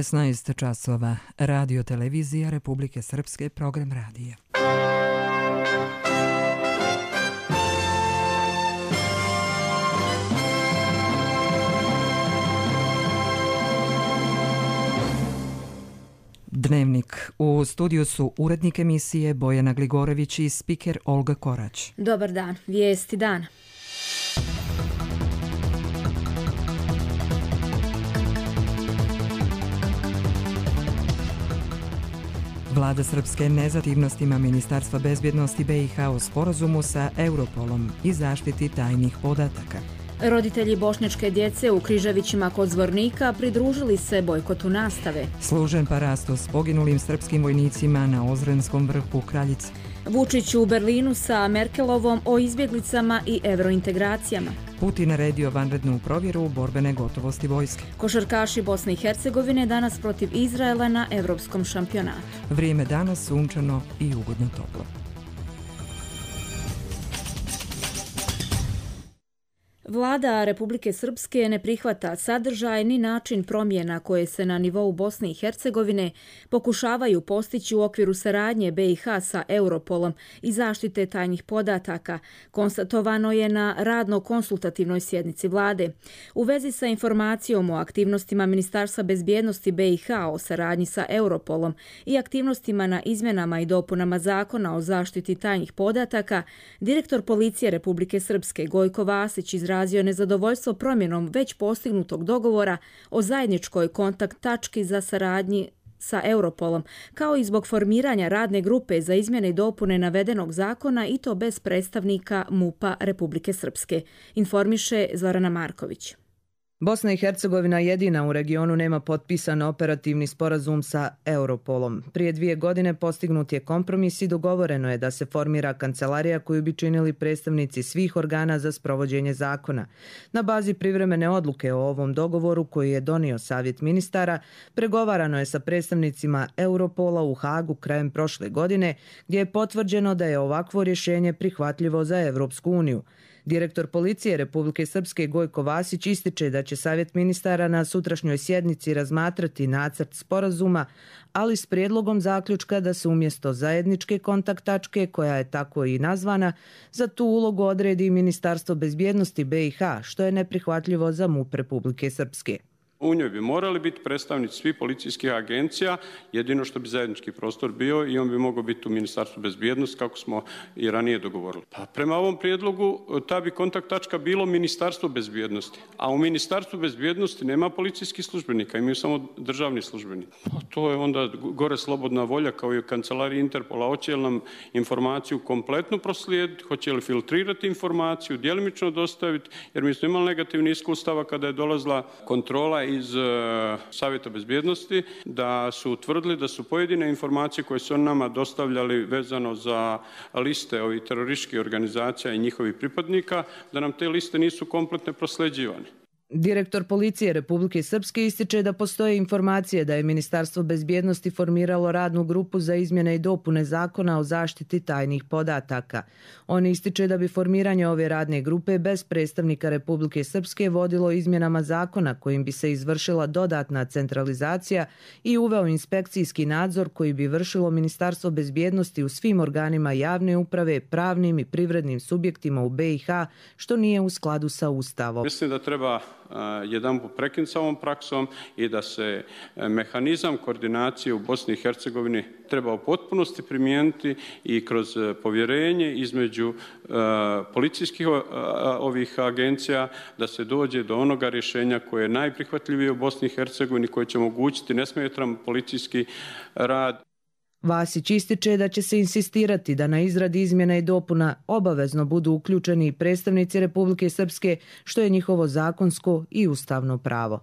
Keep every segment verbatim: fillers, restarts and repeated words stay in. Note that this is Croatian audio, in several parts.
šesnaest časova. Radio televizija Republike Srpske, program radija. Dnevnik. U studiju su urednik emisije Bojana Gligorević i spiker Olga Korać. Dobar dan. Vijesti dana. Vlada Srpske nezativnostima Ministarstva bezbjednosti B i H o sporazumu sa Europolom i zaštiti tajnih podataka. Roditelji bošnjačke djece u Križevićima kod Zvornika pridružili se bojkotu nastave. Služen parastos poginulim srpskim vojnicima na Ozrenskom vrhu Kraljice. Vučić u Berlinu sa Merkelovom o izbjeglicama i evrointegracijama. Putin naredio vanrednu provjeru borbene gotovosti vojske. Košarkaši Bosne i Hercegovine danas protiv Izraela na evropskom šampionatu. Vrijeme danas sunčano i ugodno toplo. Vlada Republike Srpske ne prihvata sadržaj ni način promjena koje se na nivou Bosne i Hercegovine pokušavaju postići u okviru saradnje B i H sa Europolom i zaštite tajnih podataka, konstatovano je na radno-konsultativnoj sjednici vlade. U vezi sa informacijom o aktivnostima Ministarstva bezbjednosti B i H o saradnji sa Europolom i aktivnostima na izmjenama i dopunama zakona o zaštiti tajnih podataka, direktor policije Republike Srpske Gojko Vasić izrazio izrazio nezadovoljstvo promjenom već postignutog dogovora o zajedničkoj kontakt tački za saradnji sa Europolom, kao i zbog formiranja radne grupe za izmjene i dopune navedenog zakona i to bez predstavnika MUP-a Republike Srpske, informiše Zorana Marković. Bosna i Hercegovina jedina u regionu nema potpisan operativni sporazum sa Europolom. Prije dvije godine postignut je kompromis i dogovoreno je da se formira kancelarija koju bi činili predstavnici svih organa za sprovođenje zakona. Na bazi privremene odluke o ovom dogovoru koji je donio Savjet ministara, pregovarano je sa predstavnicima Europola u Hagu krajem prošle godine, gdje je potvrđeno da je ovakvo rješenje prihvatljivo za Evropsku uniju. Direktor policije Republike Srpske Gojko Vasić ističe da će Savjet ministara na sutrašnjoj sjednici razmatrati nacrt sporazuma, ali s prijedlogom zaključka da se umjesto zajedničke kontakt tačke, koja je tako i nazvana, za tu ulogu odredi Ministarstvo bezbjednosti B i H, što je neprihvatljivo za MUP Republike Srpske. U njoj bi morali biti predstavnici svih policijskih agencija, jedino što bi zajednički prostor bio i on bi mogao biti u Ministarstvu bezbjednosti kako smo i ranije dogovorili. Pa prema ovom prijedlogu ta bi kontakt tačka bilo Ministarstvo bezbjednosti, a u Ministarstvu bezbjednosti nema policijskih službenika, imaju samo državni službenici. Pa to je onda gore slobodna volja kao i u kancelariji Interpola, hoće li nam informaciju kompletno proslijediti, hoće li filtrirati informaciju, djelimično dostaviti, jer mi smo imali negativni iskustava kada je dolazila kontrola iz uh, Savjeta bezbjednosti, da su utvrdili da su pojedine informacije koje su nama dostavljali vezano za liste ovih terorističkih organizacija i njihovih pripadnika, da nam te liste nisu kompletne prosljeđivane. Direktor policije Republike Srpske ističe da postoje informacije da je Ministarstvo bezbjednosti formiralo radnu grupu za izmjene i dopune zakona o zaštiti tajnih podataka. On ističe da bi formiranje ove radne grupe bez predstavnika Republike Srpske vodilo izmjenama zakona kojim bi se izvršila dodatna centralizacija i uveo inspekcijski nadzor koji bi vršilo Ministarstvo bezbjednosti u svim organima javne uprave, pravnim i privrednim subjektima u B i H, što nije u skladu sa Ustavom. Mislim da treba jedan put prekinuti sa ovom praksom i da se mehanizam koordinacije u Bosni i Hercegovini treba u potpunosti primijeniti i kroz povjerenje između uh, policijskih uh, ovih agencija da se dođe do onoga rješenja koje je najprihvatljivije u Bosni i Hercegovini, koje će omogućiti nesmetan policijski rad. Vasić ističe da će se insistirati da na izradi izmjena i dopuna obavezno budu uključeni predstavnici Republike Srpske, što je njihovo zakonsko i ustavno pravo.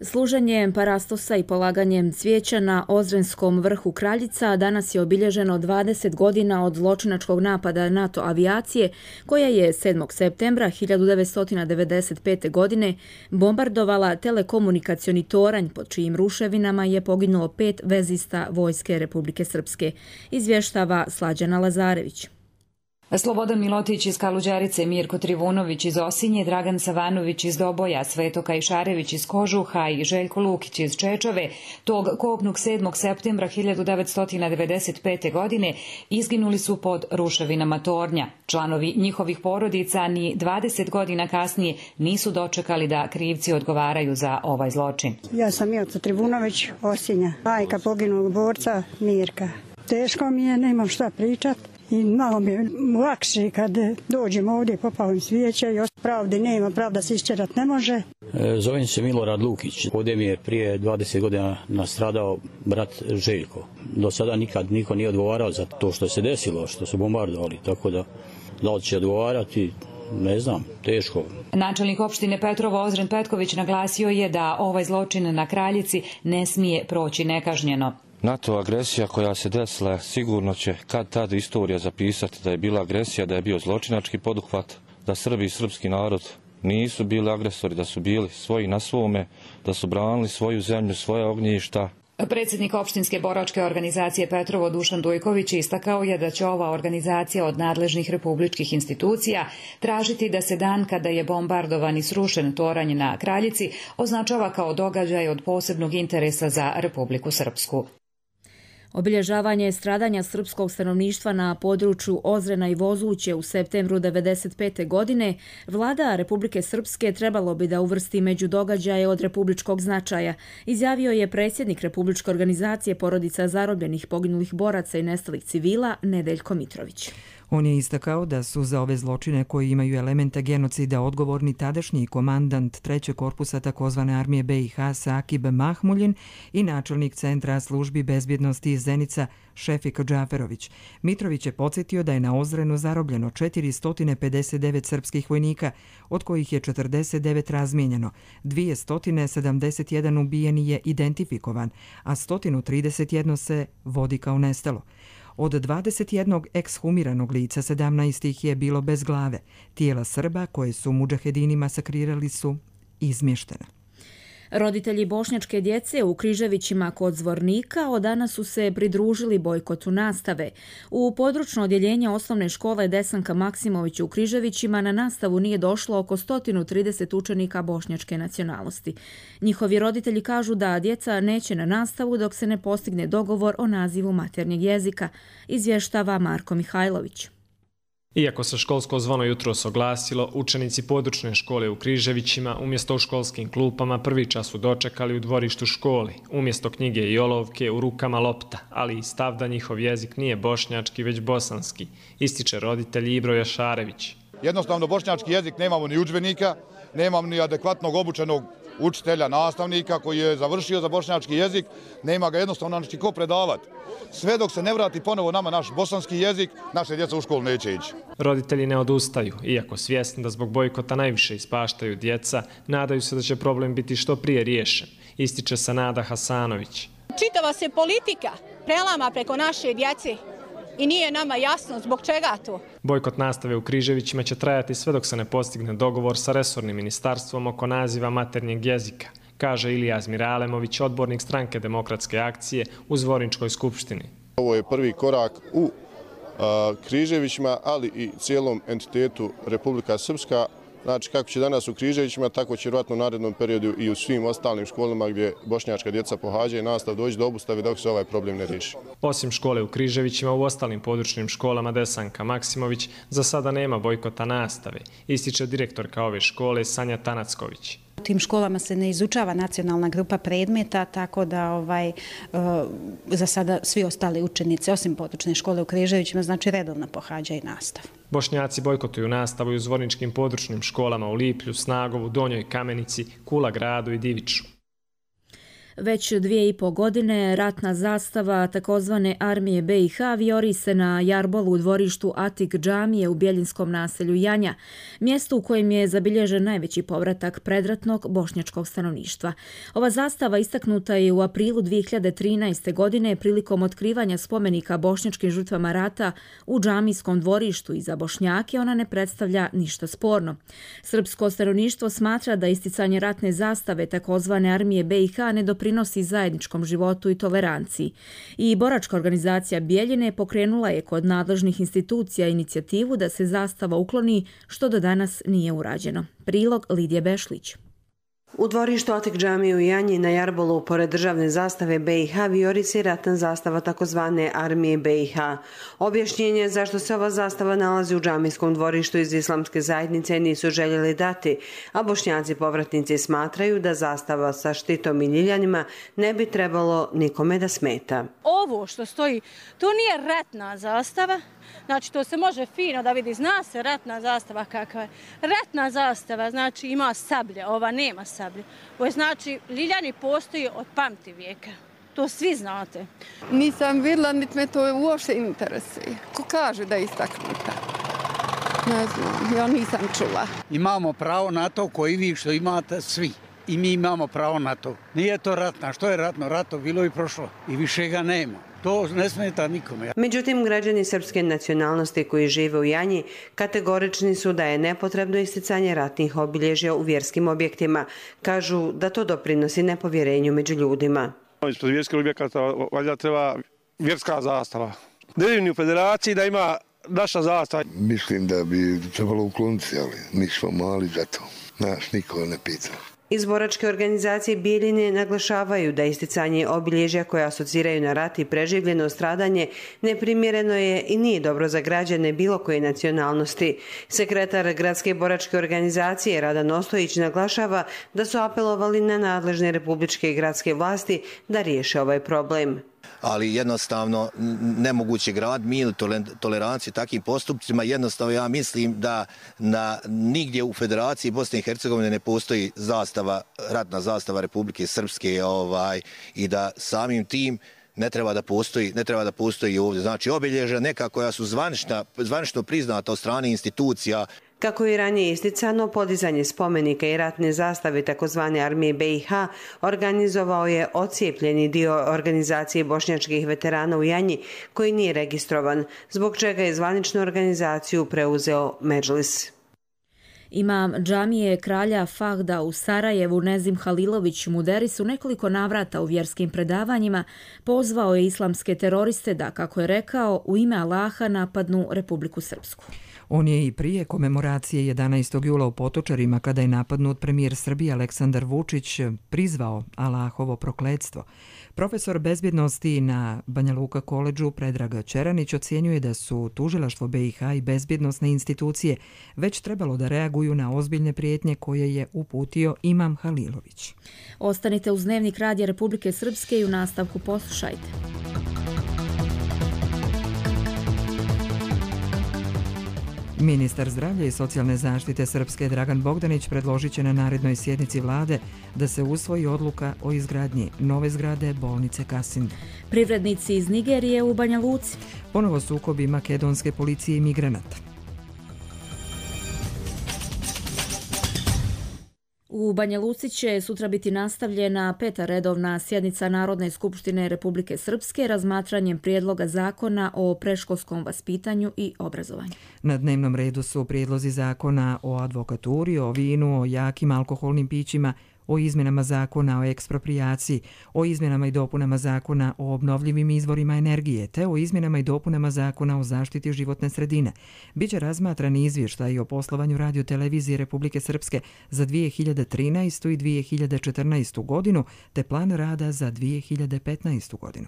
Služenjem parastosa i polaganjem cvijeća na Ozrenskom vrhu Kraljica danas je obilježeno dvadeset godina od zločinačkog napada NATO avijacije koja je sedmog septembra hiljadu devetsto devedeset pete. godine bombardovala telekomunikacioni toranj pod čijim ruševinama je poginulo pet vezista Vojske Republike Srpske, izvještava Slađana Lazarević. Slobodan Milotić iz Kaluđerice, Mirko Trivunović iz Osinje, Dragan Savanović iz Doboja, Sveto Kajšarević iz Kožuha i Željko Lukić iz Čečove tog kobnog sedmog septembra hiljadu devetsto devedeset pete. godine izginuli su pod ruševinama tornja. Članovi njihovih porodica ni dvadeset godina kasnije nisu dočekali da krivci odgovaraju za ovaj zločin. Ja sam Mirko Trivunović, Osinja, majka poginulog borca Mirka. Teško mi je, nemam šta pričat. I malo mi je lakše kad dođem ovdje, popalim svijeće i pravde nema, pravda se iščerat ne može. Zovem se Milorad Lukić. Ovdje mi je prije dvadeset godina nastradao brat Željko. Do sada nikad niko nije odgovarao za to što se desilo, što su bombardovali, tako da da li će odgovarati, ne znam, teško. Načelnik opštine Petrovo Ozren Petković naglasio je da ovaj zločin na Kraljici ne smije proći nekažnjeno. NATO agresija koja se desila sigurno će kad tad istorija zapisati da je bila agresija, da je bio zločinački poduhvat, da Srbi i srpski narod nisu bili agresori, da su bili svoji na svome, da su branili svoju zemlju, svoje ognjišta. Predsjednik opštinske boračke organizacije Petrovo Dušan Dujković istakao je da će ova organizacija od nadležnih republičkih institucija tražiti da se dan kada je bombardovan i srušen toranj na Kraljici označava kao događaj od posebnog interesa za Republiku Srpsku. Obilježavanje stradanja srpskog stanovništva na području Ozrena i Vozuće u septembru devedeset pete. godine vlada Republike Srpske trebalo bi da uvrsti među događaje od republičkog značaja, izjavio je predsjednik Republičke organizacije porodica zarobljenih, poginulih boraca i nestalih civila Nedeljko Mitrović. On je istakao da su za ove zločine koji imaju elemente genocida odgovorni tadašnji komandant trećeg korpusa takozvane armije B i H Sakib Mahmuljin i načelnik Centra službi bezbjednosti Zenica Šefik Džaferović. Mitrović je podsjetio da je na Ozrenu zarobljeno četiristo pedeset devet srpskih vojnika, od kojih je četrdeset devet razmijenjeno, dvjesto sedamdeset jedan ubijeni je identifikovan, a sto trideset jedan se vodi kao nestalo. Od dvadeset jednog ekshumiranog lica sedamnaest ih je bilo bez glave. Tijela Srba koje su mudžahedini masakrirali su izmještena. Roditelji bošnjačke djece u Križevićima kod Zvornika od danas su se pridružili bojkotu nastave. U područno odjeljenje osnovne škole Desanka Maksimović u Križevićima na nastavu nije došlo oko sto trideset učenika bošnjačke nacionalnosti. Njihovi roditelji kažu da djeca neće na nastavu dok se ne postigne dogovor o nazivu maternjeg jezika, izvještava Marko Mihajlović. Iako se školsko zvono jutros oglasilo, učenici područne škole u Križevićima umjesto u školskim klupama prvi čas su dočekali u dvorištu školi, umjesto knjige i olovke u rukama lopta, ali i stav da njihov jezik nije bošnjački već bosanski, ističe roditelj Ibro Jašarević. Jednostavno bošnjački jezik nemamo ni udžbenika, nemamo ni adekvatnog obučenog učitelja, nastavnika koji je završio za bošnjački jezik, nema ga jednostavno znači ko predavati. Sve dok se ne vrati ponovo nama naš bosanski jezik, naše djeca u školu neće ići. Roditelji ne odustaju, iako svjesni da zbog bojkota najviše ispaštaju djeca, nadaju se da će problem biti što prije riješen, ističe Sanada Hasanović. Čitava se politika prelama preko naše djece i nije nama jasno zbog čega to. Bojkot nastave u Križevićima će trajati sve dok se ne postigne dogovor sa resornim ministarstvom oko naziva maternjeg jezika, kaže Ilija Zmiralemović, odbornik stranke Demokratske akcije u Zvorničkoj skupštini. Ovo je prvi korak u a, Križevićima, ali i cijelom entitetu Republika Srpska. Znači, kako će danas u Križevićima, tako će vjerojatno u narednom periodu i u svim ostalim školama gdje bošnjačka djeca pohađaju nastav doći do obustave dok se ovaj problem ne riješi. Osim škole u Križevićima, u ostalim područnim školama Desanka Maksimović za sada nema bojkota nastave, ističe direktorka ove škole Sanja Tanacković. U tim školama se ne izučava nacionalna grupa predmeta, tako da ovaj, za sada svi ostali učenici, osim područne škole u Križevićima, znači redovno pohađaju nastavu. Bošnjaci bojkotuju nastavu i u zvorničkim područnim školama u Liplju, Snagovu, Donjoj Kamenici, Kula gradu i Diviču. Već dvije i po godine ratna zastava takozvane armije B i H vijori se na jarbolu u dvorištu Atik džamije u bjeljinskom naselju Janja, mjestu u kojem je zabilježen najveći povratak predratnog bošnjačkog stanovništva. Ova zastava istaknuta je u aprilu dvije hiljade trinaeste. godine prilikom otkrivanja spomenika bošnjačkim žrtvama rata u džamijskom dvorištu i za Bošnjake ona ne predstavlja ništa sporno. Srpsko stanovništvo smatra da isticanje ratne zastave takozvane armije B i H ne doprinosi doprinosi zajedničkom životu i toleranciji. I boračka organizacija Bijeljine pokrenula je kod nadležnih institucija inicijativu da se zastava ukloni, što do danas nije urađeno. Prilog Lidije Bešlić. U dvorištu Atik džamije u Janji na Jarbolu, pored državne zastave B i H, vijorisi ratna zastava takozvane armije B i H. Objašnjenje zašto se ova zastava nalazi u džamijskom dvorištu iz islamske zajednice nisu željeli dati, a Bošnjaci povratnici smatraju da zastava sa štitom i ljiljanima ne bi trebalo nikome da smeta. Ovo što stoji, to nije ratna zastava. Znači, to se može fino da vidi, zna se ratna zastava kakva je. Ratna zastava znači ima sablje, ova nema sablje. Ovo znači, ljiljani postoji od pamti vijeka. To svi znate. Nisam vidjela, niti me to uopšte interesuje. Ko kaže da je istaknuta? Ne znam, ja nisam čula. Imamo pravo na to koji vi što imate svi. I mi imamo pravo na to. Nije to ratna. Što je ratno? Rato bilo i prošlo. I više ga nema. To ne smeta nikome. Međutim, građani srpske nacionalnosti koji žive u Janji kategorični su da je nepotrebno isticanje ratnih obilježja u vjerskim objektima. Kažu da to doprinosi nepovjerenju među ljudima. Ispred vjerskih objekata valjda treba vjerska zastava. Ne vidim ni u federaciji da ima naša zastava. Mislim da bi trebalo ukloniti, ali mi smo mali za to. Nas niko ne pita. Iz boračke organizacije Bijeljine naglašavaju da isticanje obilježja koje asociraju na rat i preživljeno stradanje neprimjereno je i nije dobro za građane bilo koje nacionalnosti. Sekretar gradske boračke organizacije Radan Ostojić naglašava da su apelovali na nadležne republičke i gradske vlasti da riješe ovaj problem. Ali jednostavno nemoguće grad mir, toleranciju takvim postupcima. Jednostavno ja mislim da na, nigdje u Federaciji Bosne i Hercegovine ne postoji zastava, ratna zastava Republike Srpske ovaj, i da samim tim ne treba da postoji, ne treba da postoji ovdje. Znači obilježja neka koja su zvanična, zvanično priznata od strane institucija. Kako je ranije isticano, podizanje spomenika i ratne zastave takozvane armije B i H organizovao je ocijepljeni dio organizacije bošnjačkih veterana u Janji koji nije registrovan, zbog čega je zvaničnu organizaciju preuzeo Medžlis. Imam džamije kralja Fahda u Sarajevu Nezim Halilović Muderis u nekoliko navrata u vjerskim predavanjima pozvao je islamske teroriste da, kako je rekao, u ime Allaha napadnu Republiku Srpsku. On je i prije komemoracije jedanaestog jula u Potočarima, kada je napadnut premijer Srbije Aleksandar Vučić, prizvao Allahovo prokletstvo. Profesor bezbjednosti na Banja Luka koledžu Predrag Čeranić ocjenjuje da su tužilaštvo B i H i bezbjednosne institucije već trebalo da reaguju na ozbiljne prijetnje koje je uputio Imam Halilović. Ostanite uz Dnevnik Radija Republike Srpske i u nastavku poslušajte. Ministar zdravlja i socijalne zaštite Srpske Dragan Bogdanić predložit će na narednoj sjednici vlade da se usvoji odluka o izgradnji nove zgrade bolnice Kasin. Privrednici iz Nigerije u Banja Luci. Ponovo sukobi makedonske policije i migranata. U Banja Luci će sutra biti nastavljena peta redovna sjednica Narodne skupštine Republike Srpske razmatranjem prijedloga zakona o predškolskom vaspitanju i obrazovanju. Na dnevnom redu su prijedlozi zakona o advokaturi, o vinu, o jakim alkoholnim pićima, o izmjenama zakona o eksproprijaciji, o izmjenama i dopunama zakona o obnovljivim izvorima energije, te o izmjenama i dopunama zakona o zaštiti životne sredine. Biće razmatran izvještaj o poslovanju radiotelevizije Republike Srpske za dvije hiljade trinaestu. i dvije hiljade četrnaestu. godinu, te plan rada za dvije hiljade petnaestu. godinu.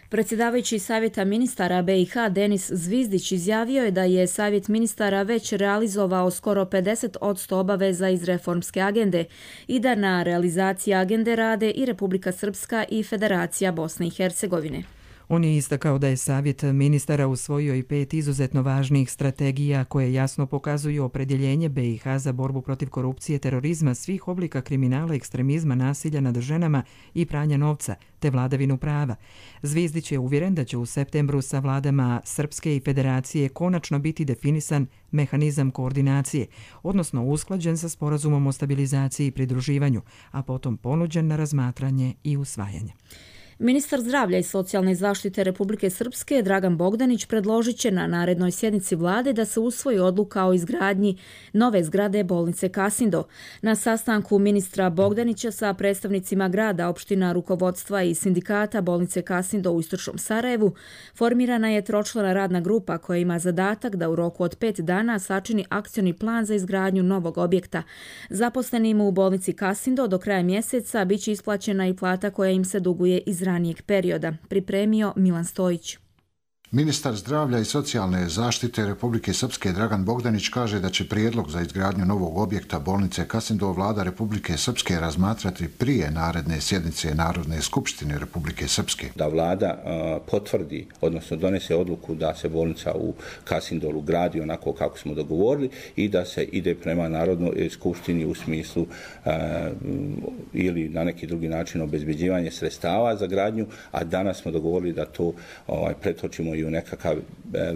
Predsjedavajući Savjeta ministara B i H Denis Zvizdić izjavio je da je Savjet ministara već realizovao skoro pedeset posto obaveza iz reformske agende i da na realizaciji agende rade i Republika Srpska i Federacija Bosne i Hercegovine. On je istakao da je Savjet ministara usvojio i pet izuzetno važnih strategija koje jasno pokazuju opredjeljenje B i H za borbu protiv korupcije, terorizma, svih oblika kriminala, ekstremizma, nasilja nad ženama i pranja novca, te vladavinu prava. Zvizdić je uvjeren da će u septembru sa vladama Srpske i Federacije konačno biti definisan mehanizam koordinacije, odnosno usklađen sa sporazumom o stabilizaciji i pridruživanju, a potom ponuđen na razmatranje i usvajanje. Ministar zdravlja i socijalne zaštite Republike Srpske Dragan Bogdanić predložit će na narednoj sjednici vlade da se usvoji odluka o izgradnji nove zgrade bolnice Kasindo. Na sastanku ministra Bogdanića sa predstavnicima grada, opština, rukovodstva i sindikata bolnice Kasindo u istočnom Sarajevu formirana je tročlana radna grupa koja ima zadatak da u roku od pet dana sačini akcioni plan za izgradnju novog objekta. Zaposlenim u bolnici Kasindo do kraja mjeseca biće isplaćena i plata koja im se duguje iz ranijeg perioda, pripremio Milan Stojić. Ministar zdravlja i socijalne zaštite Republike Srpske Dragan Bogdanić kaže da će prijedlog za izgradnju novog objekta bolnice Kasindo vlada Republike Srpske razmatrati prije naredne sjednice Narodne skupštine Republike Srpske. Da vlada uh, potvrdi, odnosno donese odluku da se bolnica u Kasindolu gradi onako kako smo dogovorili i da se ide prema Narodnoj skupštini u smislu uh, ili na neki drugi način obezbeđivanje sredstava za gradnju, a danas smo dogovorili da to ovaj, pretočimo i u nekakav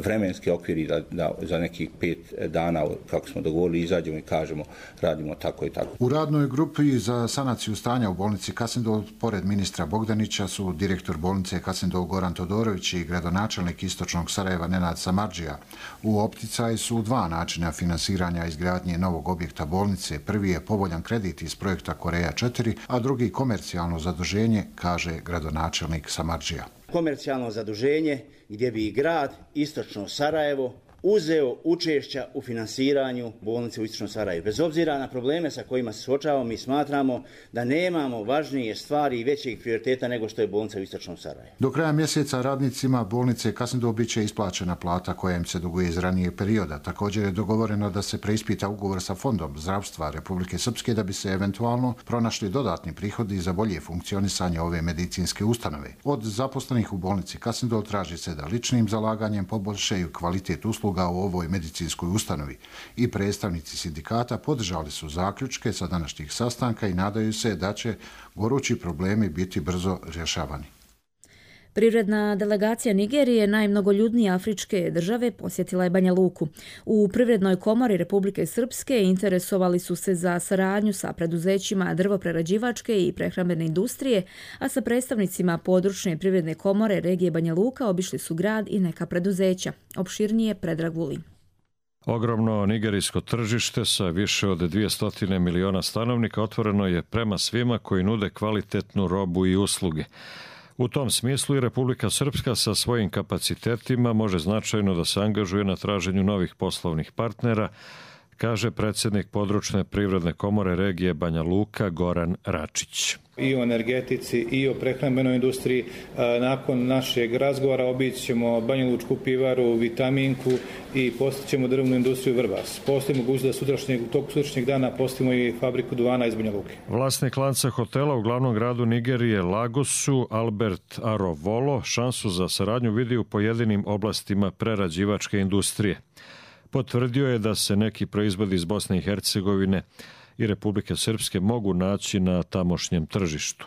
vremenski okvir i da, da za nekih pet dana, kako smo dogovorili, izađemo i kažemo radimo tako i tako. U radnoj grupi za sanaciju stanja u bolnici Kasindol, pored ministra Bogdanića, su direktor bolnice Kasindol Goran Todorović i gradonačelnik istočnog Sarajeva Nenad Samardžija. U opticaju su dva načina finansiranja izgradnje novog objekta bolnice. Prvi je povoljan kredit iz projekta Koreja četiri, a drugi komercijalno zaduženje, kaže gradonačelnik Samardžija. Komercijalno zaduženje gdje bi i grad Istočno Sarajevo uzeo učešća u finansiranju bolnice u Istočnom Sarajevu. Bez obzira na probleme sa kojima se suočavamo, mi smatramo da nemamo važnije stvari i većeg prioriteta nego što je bolnica u Istočnom Sarajevu. Do kraja mjeseca radnicima bolnice Kasindol bit će isplaćena plata koja im se duguje iz ranijeg perioda. Također je dogovoreno da se preispita ugovor sa Fondom zdravstva Republike Srpske da bi se eventualno pronašli dodatni prihodi za bolje funkcionisanje ove medicinske ustanove. Od zaposlenih u bolnici Kasindol traži se da ličnim zalaganjem poboljšaju kvalitet usluga u ovoj medicinskoj ustanovi i predstavnici sindikata podržali su zaključke sa današnjih sastanka i nadaju se da će gorući problemi biti brzo rješavani. Privredna delegacija Nigerije, najmnogoljudnije afričke države, posjetila je Banja Luku. U Privrednoj komori Republike Srpske interesovali su se za saradnju sa preduzećima drvoprerađivačke i prehrambene industrije, a sa predstavnicima područne privredne komore regije Banja Luka obišli su grad i neka preduzeća. Opširnije Predrag Vulin. Ogromno nigerijsko tržište sa više od dvjesto miliona stanovnika otvoreno je prema svima koji nude kvalitetnu robu i usluge. U tom smislu i Republika Srpska sa svojim kapacitetima može značajno da se angažuje na traženju novih poslovnih partnera, kaže predsjednik područne privredne komore regije Banja Luka Goran Račić. I o energetici i o prehrambenoj industriji. Nakon našeg razgovora obići ćemo Banja Lučku pivaru, Vitaminku i postićemo drvnu industriju Vrbas. Postoji mogućnost da sutrašnjeg, u toku sutrašnjeg dana postavimo i fabriku duvana iz Banja Luke. Vlasnik lanca hotela u glavnom gradu Nigerije Lagosu, Albert Arovolo, šansu za saradnju vidi u pojedinim oblastima prerađivačke industrije. Potvrdio je da se neki proizvodi iz Bosne i Hercegovine i Republike Srpske mogu naći na tamošnjem tržištu.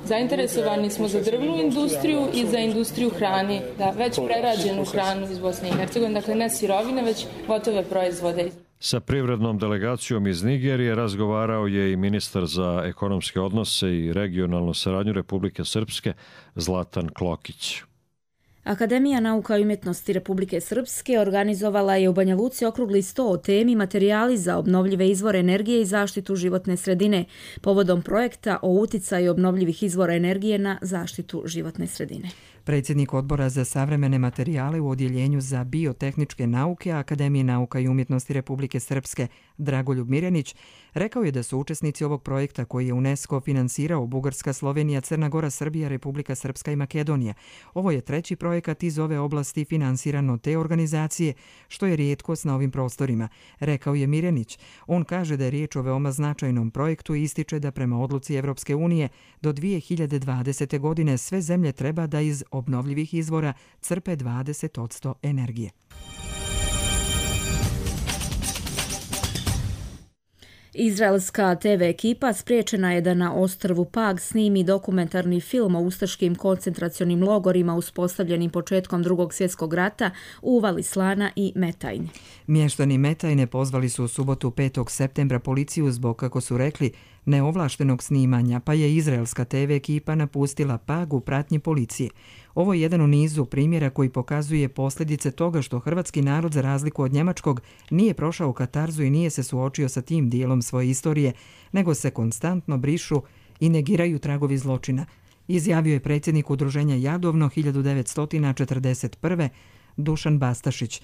Zainteresovani smo za drvnu industriju i za industriju hrane, da već prerađenu hranu iz Bosne i Hercegovine, dakle ne sirovine, već gotove proizvode. Sa privrednom delegacijom iz Nigerije razgovarao je i ministar za ekonomske odnose i regionalnu saradnju Republike Srpske Zlatan Klokić. Akademija nauka i umjetnosti Republike Srpske organizovala je u Banja Luci okrugli sto o temi materijali za obnovljive izvore energije i zaštitu životne sredine, povodom projekta o uticaju obnovljivih izvora energije na zaštitu životne sredine. Predsjednik odbora za savremene materijale u Odjeljenju za biotehničke nauke Akademije nauka i umjetnosti Republike Srpske Dragoljub Mirjanić rekao je da su učesnici ovog projekta koji je UNESCO finansirao Bugarska, Slovenija, Crna Gora, Srbija, Republika Srpska i Makedonija. Ovo je treći projekat iz ove oblasti finansiran od te organizacije, što je rijetkost na ovim prostorima, rekao je Mirjanić. On kaže da je riječ o veoma značajnom projektu i ističe da prema odluci Evropske unije do dvije hiljade dvadesete. godine sve zemlje treba da iz obnovljivih izvora crpe dvadeset posto energije. Izraelska te ve ekipa spriječena je da na ostrvu Pag snimi dokumentarni film o ustaškim koncentracionim logorima uspostavljenim početkom Drugog svjetskog rata u uvali Slana i Metajne. Mještani Metajne pozvali su u subotu petog septembra policiju zbog, kako su rekli, neovlaštenog snimanja, pa je izraelska te ve ekipa napustila Pag u pratnji policije. Ovo je jedan u nizu primjera koji pokazuje posljedice toga što hrvatski narod, za razliku od njemačkog, nije prošao katarzu i nije se suočio sa tim dijelom svoje istorije, nego se konstantno brišu i negiraju tragovi zločina, izjavio je predsjednik udruženja Jadovno hiljadu devetsto četrdeset prve. Dušan Bastašić.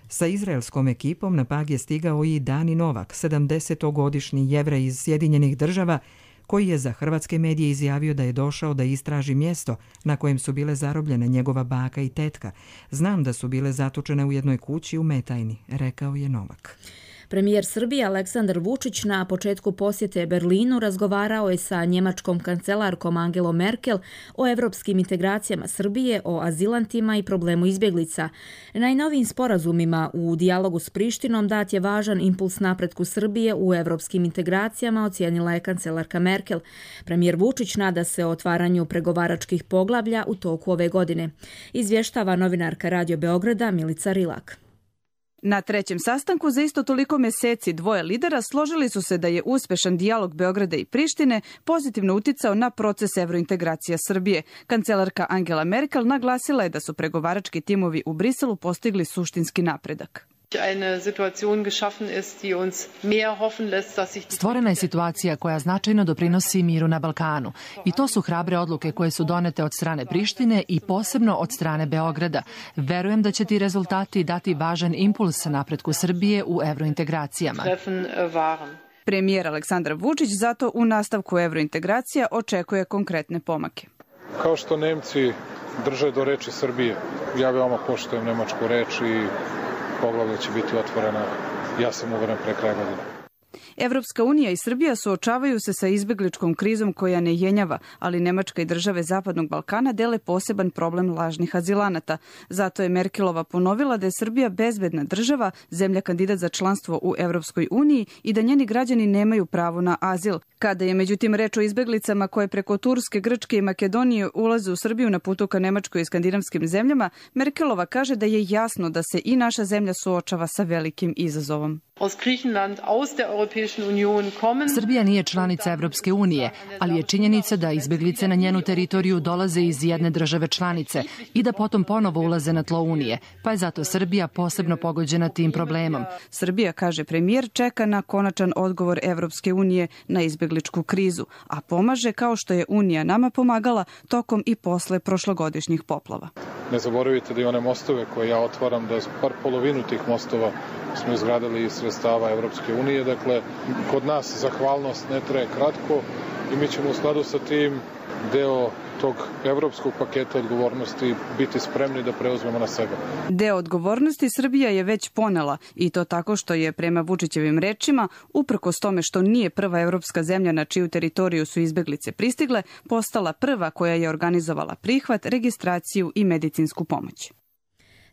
Sa izraelskom ekipom na Pag je stigao i Dani Novak, sedamdesetogodišnji Jevrej iz Sjedinjenih Država, koji je za hrvatske medije izjavio da je došao da istraži mjesto na kojem su bile zarobljene njegova baka i tetka. Znam da su bile zatočene u jednoj kući u Metajni, rekao je Novak. Premijer Srbije Aleksandar Vučić na početku posjete Berlinu razgovarao je sa njemačkom kancelarkom Angelom Merkel o evropskim integracijama Srbije, o azilantima i problemu izbjeglica. Najnovijim sporazumima u dijalogu s Prištinom dat je važan impuls napretku Srbije u evropskim integracijama, ocijenila je kancelarka Merkel. Premijer Vučić nada se o otvaranju pregovaračkih poglavlja u toku ove godine. Izvještava novinarka Radio Beograda Milica Rilak. Na trećem sastanku za isto toliko mjeseci dvoje lidera složili su se da je uspješan dijalog Beograda i Prištine pozitivno uticao na proces evrointegracija Srbije. Kancelarka Angela Merkel naglasila je da su pregovarački timovi u Briselu postigli suštinski napredak. Stvorena je situacija koja značajno doprinosi miru na Balkanu i to su hrabre odluke koje su donete od strane Prištine i posebno od strane Beograda. Verujem da će ti rezultati dati važan impuls napretku Srbije u evrointegracijama. Premijer Aleksandar Vučić zato u nastavku evrointegracija očekuje konkretne pomake. Kao što Nemci drže do reči Srbije, ja veoma poštujem nemačku reč i poglavlja će biti otvorena, ja sam uveren, pre kraja godine. Evropska unija i Srbija suočavaju se sa izbjegličkom krizom koja ne jenjava, ali Nemačka i države Zapadnog Balkana dele poseban problem lažnih azilanata. Zato je Merkelova ponovila da je Srbija bezbedna država, zemlja kandidat za članstvo u Evropskoj uniji i da njeni građani nemaju pravo na azil. Kada je međutim reč o izbjeglicama koje preko Turske, Grčke i Makedonije ulaze u Srbiju na putu ka Nemačkoj i skandinavskim zemljama, Merkelova kaže da je jasno da se i naša zemlja suočava sa velikim izazovom. Srbija nije članica Evropske unije, ali je činjenica da izbjeglice na njenu teritoriju dolaze iz jedne države članice i da potom ponovo ulaze na tlo Unije, pa je zato Srbija posebno pogođena tim problemom. Srbija, kaže premijer, čeka na konačan odgovor Evropske unije na izbjegličku krizu, a pomaže kao što je Unija nama pomagala tokom i posle prošlogodišnjih poplava. Ne zaboravite da i one mostove koje ja otvaram, da par polovinu tih mostova smo izgradili iz sredstava Evropske unije. Dakle, kod nas zahvalnost ne traje kratko i mi ćemo u skladu sa tim deo tog evropskog paketa odgovornosti biti spremni da preuzmemo na sebe. Deo odgovornosti Srbija je već ponela i to tako što je, prema Vučićevim rečima, uprkos tome što nije prva evropska zemlja na čiju teritoriju su izbjeglice pristigle, postala prva koja je organizovala prihvat, registraciju i medicinsku pomoć.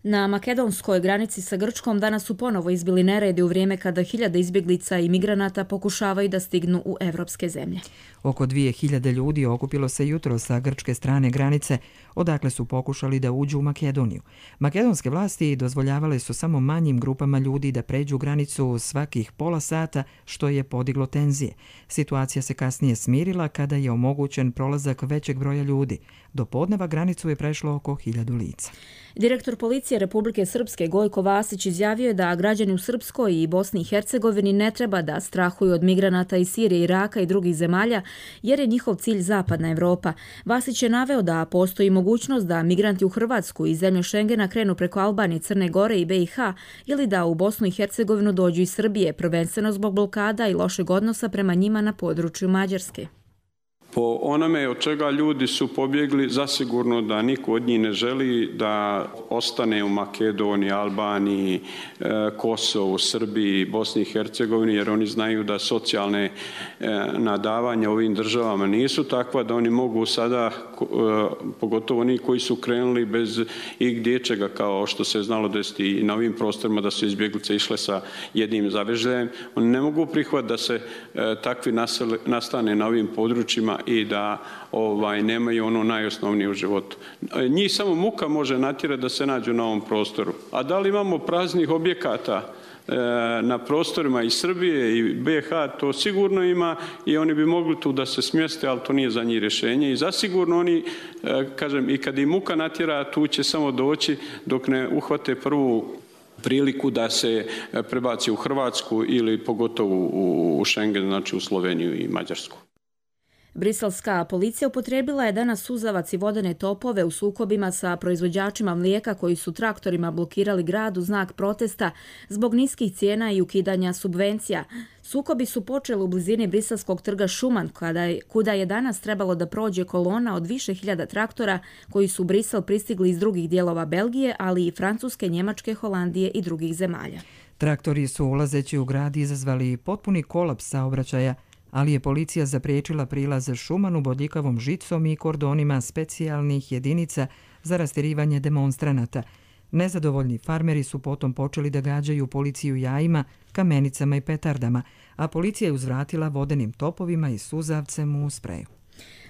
Na makedonskoj granici sa Grčkom danas su ponovo izbili neredi u vrijeme kada hiljade izbjeglica i migranata pokušavaju da stignu u evropske zemlje. Oko dvije hiljade ljudi okupilo se jutro sa grčke strane granice, odakle su pokušali da uđu u Makedoniju. Makedonske vlasti dozvoljavale su samo manjim grupama ljudi da pređu granicu svakih pola sata, što je podiglo tenzije. Situacija se kasnije smirila kada je omogućen prolazak većeg broja ljudi. Do podneva granicu je prešlo oko hiljadu lica. Direktor policije Republike Srpske Gojko Vasić izjavio je da građani u Srpskoj i Bosni i Hercegovini ne treba da strahuju od migranata iz Sirije, Iraka i drugih zemalja, jer je njihov cilj zapadna Evropa. Vasić je naveo da postoji mogućnost da migranti u Hrvatsku i zemlje Šengena krenu preko Albanije, Crne Gore i be i ha ili da u Bosnu i Hercegovinu dođu iz Srbije, prvenstveno zbog blokada i lošeg odnosa prema njima na području Mađarske. Po onome od čega ljudi su pobjegli, zasigurno da niko od njih ne želi da ostane u Makedoniji, Albaniji, Kosovu, Srbiji, Bosni i Hercegovini, jer oni znaju da socijalne nadavanja ovim državama nisu takva da oni mogu sada, pogotovo oni koji su krenuli bez igdječega, kao što se znalo desiti i na ovim prostorima da su izbjeglice išle sa jednim zavežljajem, oni ne mogu prihvatiti da se takvi nastane na ovim područjima i da ovaj, nemaju ono najosnovnije u životu. Njih samo muka može natjerati da se nađu na ovom prostoru. A da li imamo praznih objekata? na prostorima i Srbije i B iH to sigurno ima i oni bi mogli tu da se smjeste, ali to nije za njih rješenje. I zasigurno oni, kažem, i kad im muka natjera, tu će samo doći dok ne uhvate prvu priliku da se prebaci u Hrvatsku ili pogotovo u Schengen, znači u Sloveniju i Mađarsku. Briselska policija upotrijebila je danas suzavac i vodene topove u sukobima sa proizvođačima mlijeka koji su traktorima blokirali grad u znak protesta zbog niskih cijena i ukidanja subvencija. Sukobi su počeli u blizini briselskog trga Šuman, kuda je danas trebalo da prođe kolona od više hiljada traktora koji su u Brisel pristigli iz drugih dijelova Belgije, ali i Francuske, Njemačke, Holandije i drugih zemalja. Traktori su ulazeći u grad izazvali potpuni kolaps saobraćaja, ali je policija zapriječila prilaz Šumanu bodljikavom žicom i kordonima specijalnih jedinica za rastjerivanje demonstranata. Nezadovoljni farmeri su potom počeli da gađaju policiju jajima, kamenicama i petardama, a policija je uzvratila vodenim topovima i suzavcem u spreju.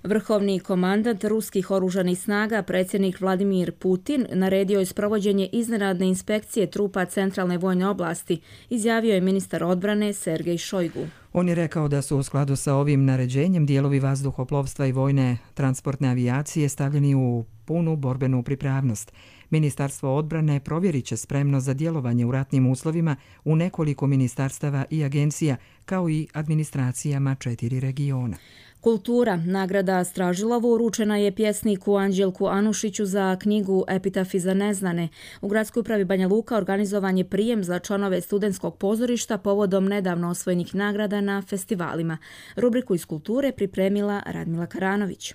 Vrhovni komandant ruskih oružanih snaga, predsjednik Vladimir Putin, naredio je sprovođenje iznenadne inspekcije trupa centralne vojne oblasti, izjavio je ministar odbrane Sergej Šojgu. On je rekao da su u skladu sa ovim naređenjem dijelovi vazduhoplovstva i vojne transportne avijacije stavljeni u punu borbenu pripravnost. Ministarstvo odbrane provjerit će spremno za djelovanje u ratnim uslovima u nekoliko ministarstava i agencija, kao i administracijama četiri regiona. Kultura. Nagrada Stražilovo uručena je pjesniku Anđelku Anušiću za knjigu Epitafi za neznane. U gradskoj upravi Banja Luka organizovan je prijem za članove studentskog pozorišta povodom nedavno osvojenih nagrada na festivalima. Rubriku iz kulture pripremila Radmila Karanović.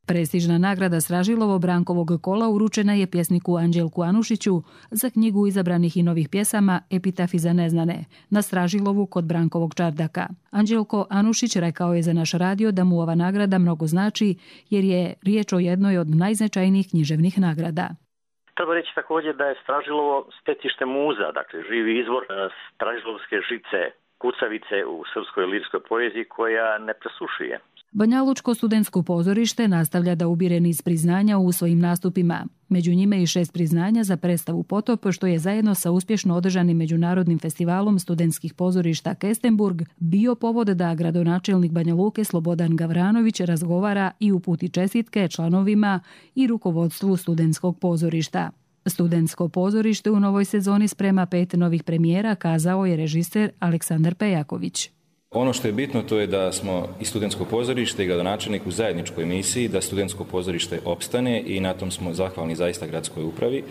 Prestižna nagrada Stražilovo Brankovog kola uručena je pjesniku Anđelku Anušiću za knjigu izabranih i novih pjesama Epitafi za neznane na Stražilovu kod Brankovog čardaka. Anđelko Anušić rekao je za naš radio da mu ova nagrada mnogo znači jer je riječ o jednoj od najznačajnijih književnih nagrada. Treba reći također da je Stražilovo stecište muza, dakle živi izvor stražilovske žice, kucavice u srpskoj lirskoj poeziji koja ne presušuje. Banjalučko studentsko pozorište nastavlja da ubire niz priznanja u svojim nastupima. Među njime i šest priznanja za predstavu Potop, što je zajedno sa uspješno održanim međunarodnim festivalom studentskih pozorišta Kestenburg bio povod da gradonačelnik Banja Luke Slobodan Gavranović razgovara i uputi čestitke članovima i rukovodstvu studentskog pozorišta. Studentsko pozorište u novoj sezoni sprema pet novih premijera, kazao je režiser Aleksandar Pejaković. Ono što je bitno to je da smo i studentsko pozorište i gradonačelnik u zajedničkoj misiji da studentsko pozorište opstane i na tom smo zahvalni zaista gradskoj upravi.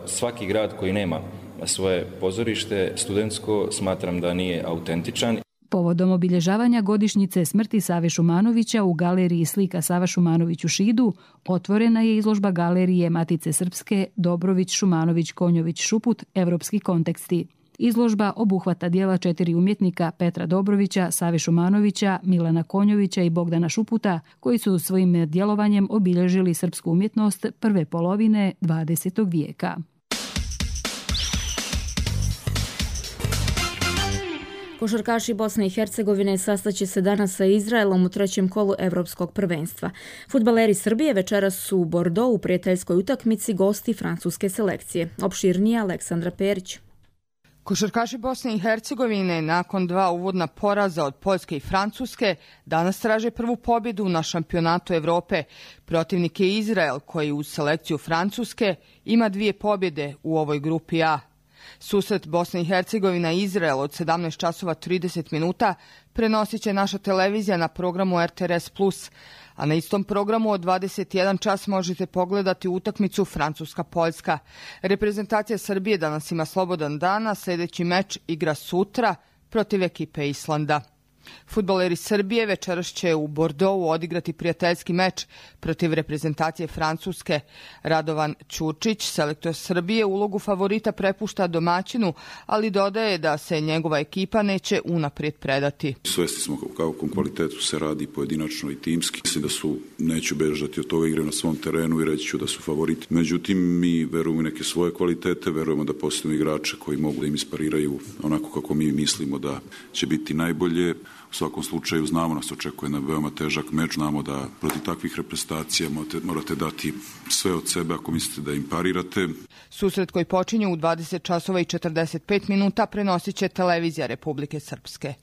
Svaki grad koji nema svoje pozorište studentsko smatram da nije autentičan. Povodom obilježavanja godišnjice smrti Save Šumanovića u galeriji slika Sava Šumanović u Šidu otvorena je izložba galerije Matice Srpske Dobrović Šumanović Konjović Šuput Evropski konteksti. Izložba obuhvata dijela četiri umjetnika Petra Dobrovića, Save Šumanovića, Milana Konjovića i Bogdana Šuputa, koji su svojim djelovanjem obilježili srpsku umjetnost prve polovine dvadesetog vijeka. Košarkaši Bosne i Hercegovine sastaće se danas sa Izraelom u trećem kolu Evropskog prvenstva. Fudbaleri Srbije večeras su u Bordeaux u prijateljskoj utakmici gosti francuske selekcije. Opširnije Aleksandra Perić. Košarkaši Bosne i Hercegovine nakon dva uvodna poraza od Poljske i Francuske danas traže prvu pobjedu na šampionatu Evrope. Protivnik je Izrael koji uz selekciju Francuske ima dvije pobjede u ovoj grupi A. Susret Bosne i Hercegovina i Izrael od sedamnaest časova trideset minuta prenosit će naša televizija na programu R T R S plus, a na istom programu od dvadeset jedan čas možete pogledati utakmicu Francuska-Poljska. Reprezentacija Srbije danas ima slobodan dan, a sljedeći meč igra sutra protiv ekipe Islanda. Fudbaleri Srbije večeras će u Bordeauxu odigrati prijateljski meč protiv reprezentacije Francuske. Radovan Ćurčić, selektor Srbije, ulogu favorita prepušta domaćinu, ali dodaje da se njegova ekipa neće unaprijed predati. Svesni smo o kakvom kvalitetu se radi pojedinačno i timski. Mislim da su, neću bežati od toga, igre na svom terenu i reći ću da su favoriti. Međutim, mi verujemo neke svoje kvalitete, verujemo da postoje igrače koji mogu da im ispariraju onako kako mi mislimo da će biti najbolje. U svakom slučaju znamo nas očekuje na veoma težak meč, znamo da protiv takvih reprezentacija morate, morate dati sve od sebe ako mislite da im parirate. Susret koji počinje u dvadeset časova i četrdeset pet minuta prenosit će Televizija Republike Srpske.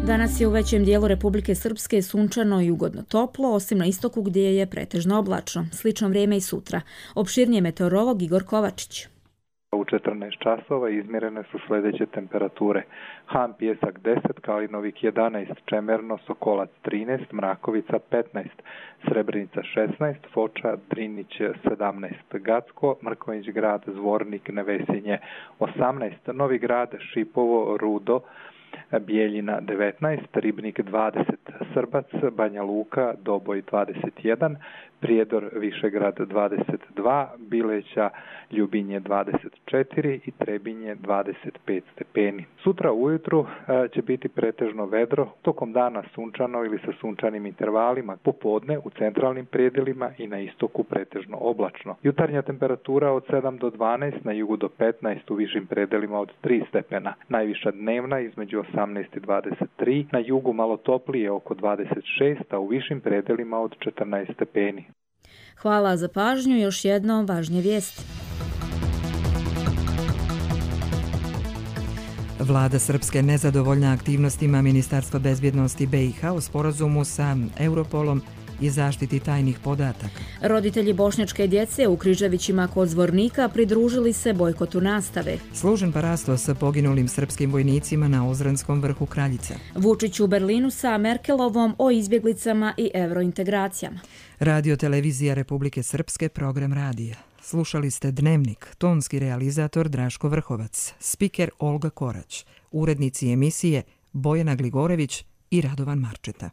Danas je u većem dijelu Republike Srpske sunčano i ugodno toplo, osim na istoku gdje je pretežno oblačno. Slično vrijeme i sutra. Opširnije meteorolog Igor Kovačić. U četrnaest časova izmjerene su sljedeće temperature. Han, Pjesak deset, Kalinovik jedanaest, Čemerno, Sokolac trinaest, Mrakovica petnaest, Srebrenica šesnaest, Foča, Drinić sedamnaest, Gacko, Mrkonjić grad, Zvornik, Nevesinje osamnaest, Novi grad, Šipovo, Rudo, Bijeljina devetnaest, Ribnik dvadeset, Srbac, Banja Luka, Doboj dvadeset jedan, Prijedor, Višegrad dvadeset dva, Bileća, Ljubinje dvadeset četiri i Trebinje dvadeset pet stepeni. Sutra ujutru će biti pretežno vedro, tokom dana sunčano ili sa sunčanim intervalima, popodne u centralnim predjelima i na istoku pretežno oblačno. Jutarnja temperatura od sedam do dvanaest, na jugu do petnaest, u višim predjelima od tri stepena. Najviša dnevna između osamnaest i dvadeset tri, na jugu malo toplije oko dvadeset šest, a u višim predjelima od četrnaest stepeni. Hvala za pažnju. Još jednom važnije vijesti. Vlada Srpske nezadovoljna aktivnostima Ministarstva bezbjednosti B i H u sporazumu sa Europolom i zaštiti tajnih podataka. Roditelji bošnjačke djece u Križevićima kod Zvornika pridružili se bojkotu nastave. Služen parasto sa poginulim srpskim vojnicima na Ozranskom vrhu Kraljica. Vučić u Berlinu sa Merkelovom o izbjeglicama i eurointegracijama. Radio Televizija Republike Srpske, program radija. Slušali ste Dnevnik, tonski realizator Draško Vrhovac, spiker Olga Korać, urednici emisije Bojana Gligorević i Radovan Marčeta.